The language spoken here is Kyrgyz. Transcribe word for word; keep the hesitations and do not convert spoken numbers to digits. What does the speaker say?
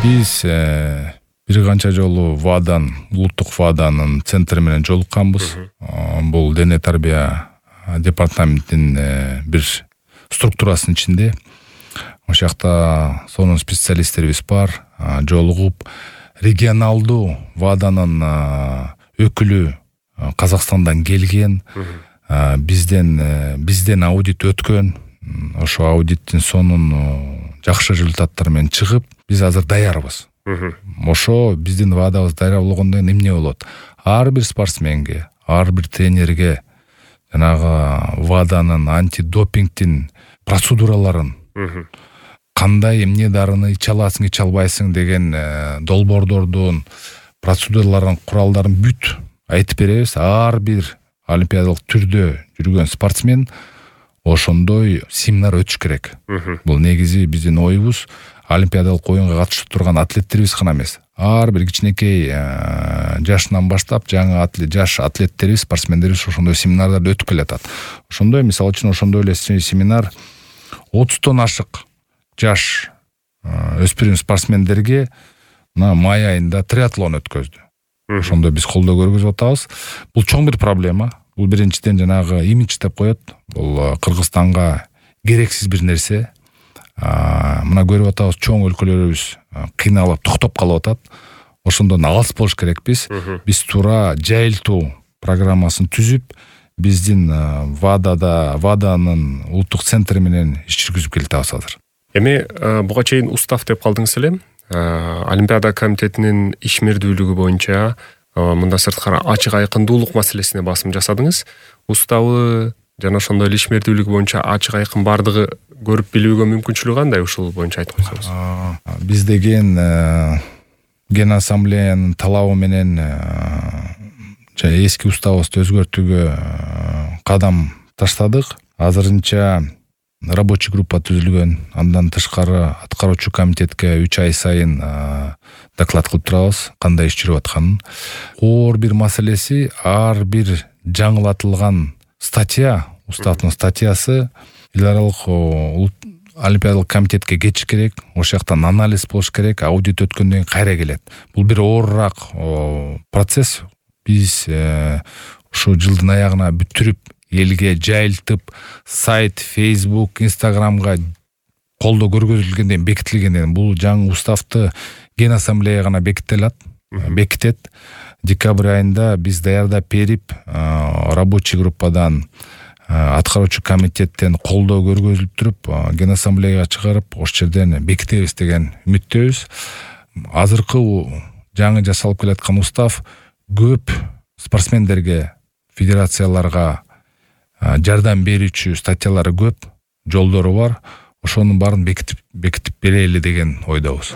Биз бир канча жолу ВАДАн, улуттук ВАДАнын центри менен жолукканбыз. Бул дене тарбия департаментинин бир структурасынын ичинде. Ошол жакта сонун специалисттерибиз бар. Жолугуп регионалдуу ВАДАнын өкүлү Казакстандан келген, бизден бизден аудит өткөн. Ошо аудиттин сонун жакшы результаттар менен чыгып, биз азыр даярбыз. Ошо биздин ВАДАбыз даяр болгондон кийин эмне болот? Ар бир спортсменге, ар бир тренерге жанагы ВАДАнын антидопингтин процедураларын, кандай эмне дарыны иче аласың, иче албайсың деген долбоордордун процедураларын, куралдарын бүт айтып беребиз. Ар бир олимпиадалык түрдө жүргөн спортсмен ошондой семинар өтүш керек. Бул негизи биздин оюбуз олимпиадалык оюнга катышып турган атлеттерибиз гана эмес. Ар бир кичинекей жашынан баштап жаңы атлет, жаш атлеттерибиз, спортсмендерибиз ошондой семинарларды өтүп келатат. Ошондой, мисалы үчүн, ошондой эле семинар отуздон ашык жаш өспүрүм спортсмендерге мына май айында триатлон өткөздү. Ошондой биз колдоо көргөзүп атабыз. Бул чоң бир проблема. Бул биринчиден жанагы имидж деп коет. Бул Кыргызстанга керексиз бир нерсе. Мына көрүп атабыз, чоң өлкөлөрүбүз кыйналып, токтоп калып атат. Ошондон алыс болуш керекпиз. Биз туура жайылтуу программасын түзүп, биздин ВАДАда, ВАДАнын улуттук центри менен иш жүргүзүп келатабыз азыр. Эми буга чейин устав деп калдыңыз эле. Олимпиада комитетинин ишмердүүлүгү боюнча мында сырткары ачык айкындуулук маселесине басым жасадыңыз. Уставы жана ошондой эле ишмердүүлүгү боюнча ачык айкын бардыгы көрүп билүүгө мүмкүнчүлүгү кандай, ушул боюнча айтып койсоңуз. Биз деген Ген ассамблеянын талабы менен эски уставыбызды өзгөртүүгө кадам таштадык. Азырынча рабочий группа түзүлгөн. Андан тышкары аткаруучу комитетке үч ай сайын доклад кылып турабыз, кандай иш жүрүп атканын. Оор бир маселеси, ар бир жаңылатылган статья, уставдын статьясы эл аралык олимпиадалык комитетке кетиш керек. Ошол жактан анализ болуш керек, аудит өткөндөн кийин кайра келет. Бул бир оорураак процесс. Биз ушу жылдын аягына бүтүрүп, элге жайылтып, сайт, Facebook, Instagramга колдоо көргөзүлгөндөн кийин, бекитилгенден кийин бул жаңы уставды Ген ассамблея гана бекителат, бекитет. Декабрь айында биз даярдап берип, рабочий группадан, аткаруучу комитеттен колдоо көргөзүлүп туруп, Ген ассамблеяга чыгарып, ошол жерден бекитебиз деген үмүттөбүз. Азыркы жаңы жасалып келаткан устав көп спортсмендерге, федерацияларга жардам берүүчү статьялары көп, жолдору бар. Ошонун баарын бекитип бекитип берели деген ойдобуз.